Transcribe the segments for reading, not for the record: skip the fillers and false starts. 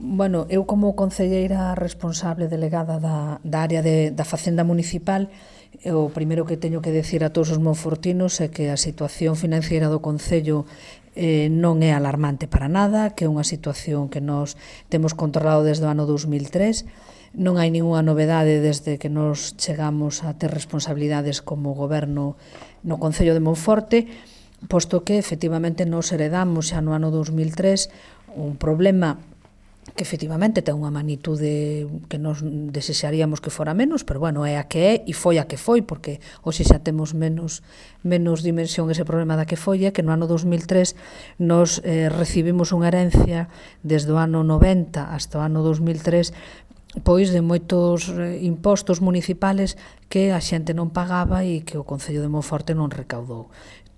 Bueno, eu como concelleira responsable delegada da área da Facenda Municipal, o primeiro que teño que decir a todos os monfortinos é que a situación financiera do Concello non é alarmante para nada, que é unha situación que nos temos controlado desde o ano 2003, non hai ninguna novedade desde que nos chegamos a ter responsabilidades como goberno no Concello de Monforte, posto que efectivamente nos heredamos xa no ano 2003 un problema que efectivamente ten unha magnitude que nos desexaríamos que fora menos, pero bueno, é a que é e foi a que foi, porque hoxe xa temos menos dimensión ese problema da que foi, é que no ano 2003 nos recibimos unha herencia desde o ano 90 hasta o ano 2003 pois de moitos impostos municipales que a xente non pagaba e que o Concello de Monforte non recaudou.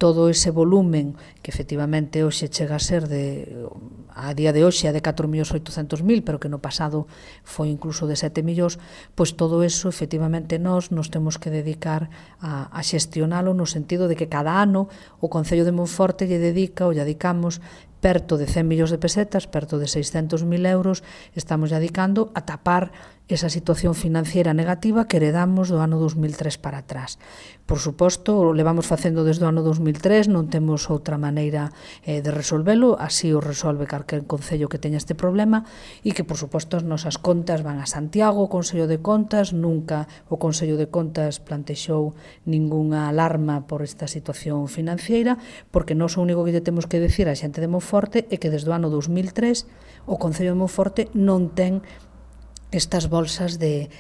Todo ese volumen que efectivamente hoxe chega a ser a día de hoxe é de 4.800.000, pero que no pasado foi incluso de 7 millóns, pois todo eso efectivamente nos temos que dedicar a xestionalo no sentido de que cada ano o Concello de Monforte lle dedicamos perto de 100 millóns de pesetas, perto de 600.000 euros, estamos dedicando a tapar esa situación financiera negativa que heredamos do ano 2003 para atrás. Por suposto, o levamos facendo desde o ano 2003, non temos outra maneira de resolvelo, así o resolve calquer concello que teña este problema, e que, por suposto, as nosas contas van a Santiago, o Consello de Contas, nunca o Consello de Contas plantexou ningunha alarma por esta situación financiera, porque nós o único que lle temos que decir á xente de Monforte é que desde o ano 2003 o Concello de Monforte non ten estas bolsas de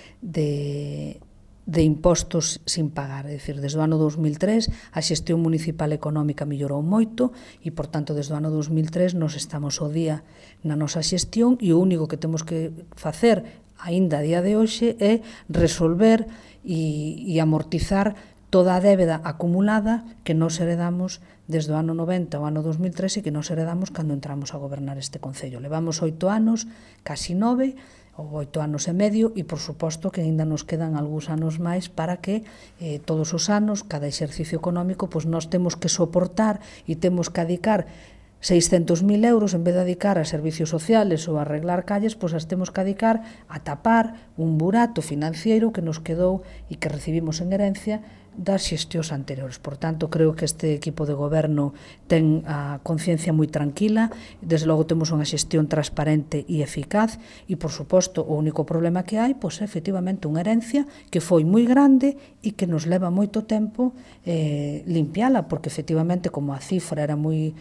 impostos sin pagar. É dicir, desde o ano 2003 a xestión municipal económica mellorou moito e, por tanto, desde o ano 2003 nos estamos ao día na nosa xestión e o único que temos que facer aínda a día de hoxe é resolver e amortizar toda a débeda acumulada que nos heredamos desde o ano 90 ao ano 2003 e que nos heredamos cando entramos a gobernar este Concello. Levamos 8 anos, casi 9, ou 8 anos e medio, e por suposto que ainda nos quedan algúns anos máis para que todos os anos, cada exercicio económico, pois nós temos que soportar e temos que dedicar 600.000 euros, en vez de dedicar a servicios sociales ou a arreglar calles, pois as temos que dedicar a tapar un burato financiero que nos quedou e que recibimos en herencia das xestións anteriores. Por tanto, creo que este equipo de goberno ten a conciencia moi tranquila, desde logo temos unha xestión transparente e eficaz e, por suposto, o único problema que hai pois é efectivamente unha herencia que foi moi grande e que nos leva moito tempo limpiala, porque efectivamente como a cifra era moi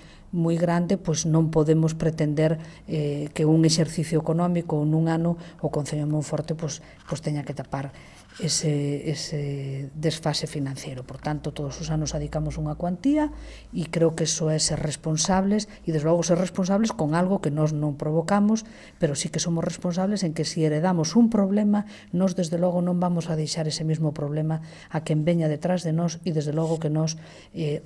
grande, pois non podemos pretender que un exercicio económico ou nun ano o Concello de Monforte pois teña que tapar ese desfase financiero. Por tanto, todos os anos adicamos unha cuantía e creo que iso é ser responsables e, desde logo, ser responsables con algo que nós non provocamos, pero sí que somos responsables en que se heredamos un problema, nós, desde logo, non vamos a deixar ese mismo problema a quen veña detrás de nós e, desde logo, que nós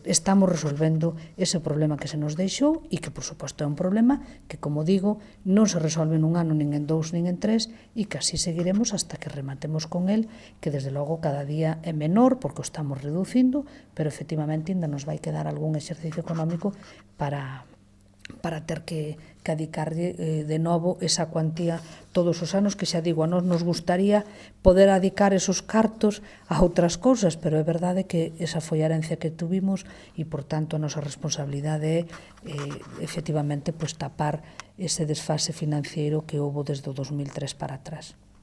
estamos resolvendo ese problema que se nos deixou e que, por suposto, é un problema que, como digo, non se resolve nun ano, nin en 2, nin en 3 e que así seguiremos hasta que rematemos con el, que desde logo cada día é menor porque o estamos reducindo, pero efectivamente ainda nos vai quedar algún exercicio económico para ter que adicarlle de novo esa cuantía todos os anos, que xa digo, a nós nos gustaría poder adicar esos cartos a outras cousas, pero é verdade que esa foi a herencia que tuvimos e, por tanto, a nosa responsabilidade é efectivamente tapar ese desfase financiero que houbo desde o 2003 para atrás.